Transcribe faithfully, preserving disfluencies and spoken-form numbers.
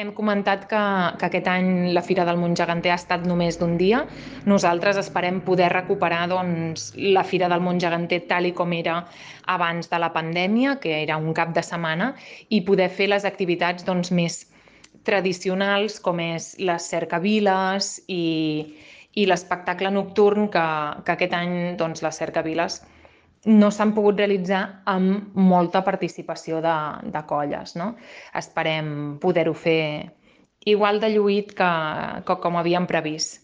Hem comentat que, que aquest any la Fira del Montgeganter ha estat només d'un dia. Nosaltres esperem poder recuperar doncs, la Fira del Montgeganter tal i com era abans de la pandèmia, que era un cap de setmana, i poder fer les activitats doncs, més tradicionals, com és les cercaviles i, i l'espectacle nocturn, que, que aquest any doncs, les cercaviles no s'han pogut realitzar amb molta participació de, de colles, no? Esperem poder-ho fer igual de lluït que, que com havíem previst.